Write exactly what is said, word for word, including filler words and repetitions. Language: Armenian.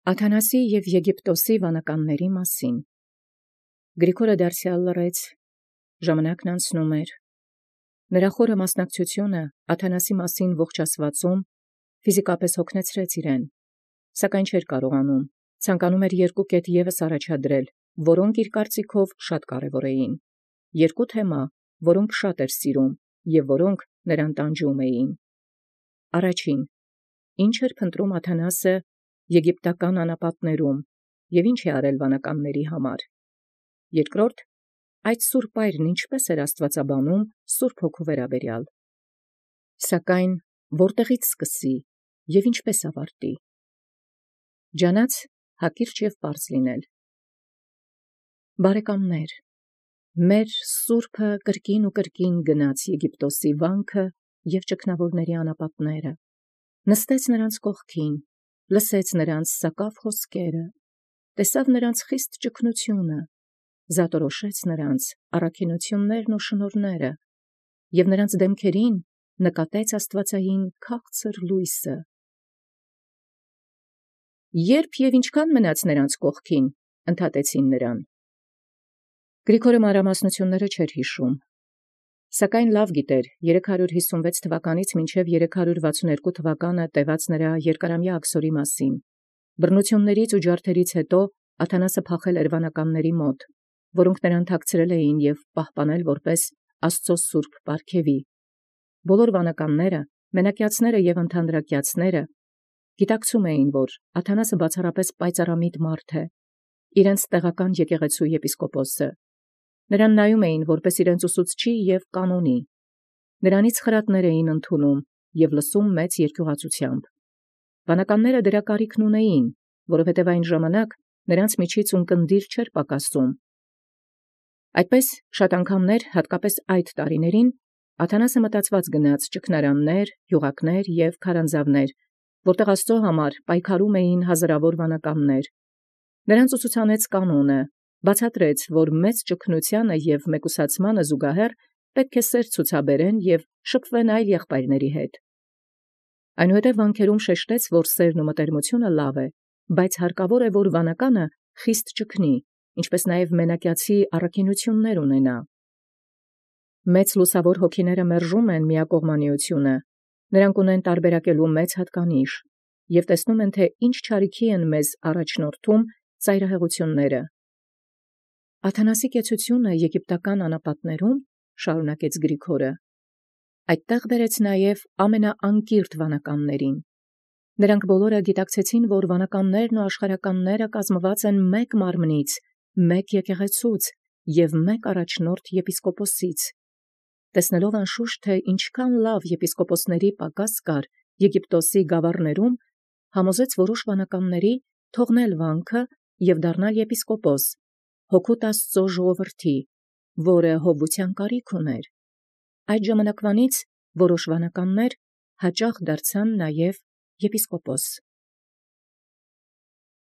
Աթանասի և Եգիպտոսի վանականացն մասին։ Գրիգորը դարձեալ լռեց, ժամանակն անցնում էր։ Նրա խորը մասնակցութիւնը Աթանասի մասին ողջ աստուածոյ ֆիզիկապես հոգնեցրեց իրեն, սակայն չէր կարողանում, ցանկանում էր երկու կետ ևս առաջադրել, որոնք իր կարծիքով շատ կարևոր էին, երկու թեմա, որոնք շատ էր սիրում և որոնք նրան տանջում էին։ Առաջին. ի՞նչ էր փնտրում Աթանասը եգիպտական անապատներում և ի՞նչ է արել վանականաց համար։ Երկրորդ. այդ սուրբ այրն ինչպէս էր աստուածաբանում Սուրբ Հոգու վերաբերեալ։ Սակայն ո՞րտեղից սկսի և ինչպէս ավարտի։ Ջանաց հակիրճ և պարզ լինել։ Բարեկամներ, մեր Սուրբը կրկին և կրկին գնաց Եգիպտոսի վանքը և ճգնաւորացն անապատս, նստաւ անդէն կողքին, լսեց նոցին սակավ խօսքերը, տեսաւ նոցին խիստ ճգնութիւնը, զատորոշեց նոցին առաքինութիւնսն ու շնորհս, և նոցին դեմքերին նկատեց աստուածեղէն քաղցր լույսը։ Ե՞րբ և յինչքան մնաց նոցին կողքին, ընդհատեցին նրան։ Գրիգորը մանրամասնութիւնս չէր յիշում, սակայն լավ գիտէր երեք հարյուր յիսունվեց թվականից մինչև երեք հարյուր վաթսունհերկու թվականը տևած նրա երկարամյա աքսորոյ մասին։ Բռնութիւնացն ու ջարդելոց յետո Աթանասը փախել էր վանականաց մոտ, որոնք նրան թաքցրել էին և պահպանել որպէս Աստուծոյ սուրբ պարգևի։ Բոլոր վանականաց, մենակեացիք և ընդհանրակեացիք գիտակցում էին, որ Աթանասը բացառապես պայծառամիտ է, իրենց տեղական եկեղեցւոյ եպիսկոպոսը։ Նրան նայում էին որպէս իրենց ուսուցչի և կանոնի։ Նրանից խրատներ էին ընդունում և լսում մեծ երկիւղածութեամբ։ Վանականաց դրա կարիքն ունէին, որովհետև այն ժամանակ նրանց միջից ունկնդիր չէր պակասում։ Այդպէս շատ անգամներ, հատկապես այդ տարիցն, Աթանասը մտածված գնաց ճգնարանս, գիւղակս և քարանձավս, որտեղ Աստուծոյ համար պայքարում էին հազարաւոր վանականաց։ Նոցին ուսուցանեց կանոնը, բացատրեց, որ մեծ ճգնութեանը և մեկուսացմանը զուգահեռ պետք է սեր ցուցաբերեն և շփվեն այլ եղբայրաց հետ։ Այնուհետև վանքերում շեշտեց, որ սերն ու մտերմութիւնը լավ է, բայց հարկավոր է, որ վանականը խիստ ճգնի, ինչպէս նաև մենակեացի առաքինութիւնս ունենա։ Մեծ լուսաւոր հոգիք մերժում են միակողմանիութիւնը, նոցին ունեն տարբերակելու մեծ հատկանիշ և տեսնում են, թէ ինչ չարիքի են մեզ առաջնորդում ծայրահեղութիւնսն։ Աթանասի կեցութիւնը եգիպտական անապատներում, շարունակեց Գրիգորը, այդտեղ բերեց նաև ամենաանկիրթ վանականացն։ Նոցք բոլորը գիտակցեցին, որ վանականաց ու աշխարհականաց կազմուած են մեկ մարմնից, մեկ եկեղեցուց և մեկ առաջնորդ եպիսկոպոսից։ Տեսնելով անշուշտ, թէ ինչքան լավ եպիսկոպոսաց պակաս կար Եգիպտոսի գաւառաց, համոզեց որոշ վանականաց թողնել վանքը և դառնալ եպիսկոպոս, հոգուտ Աստուծոյ ժողովրդի, որը հովութեան կարիք ունէր։ Այդ ժամանակվանից որոշ վանականաց յաճախ դարձան նաև եպիսկոպոս։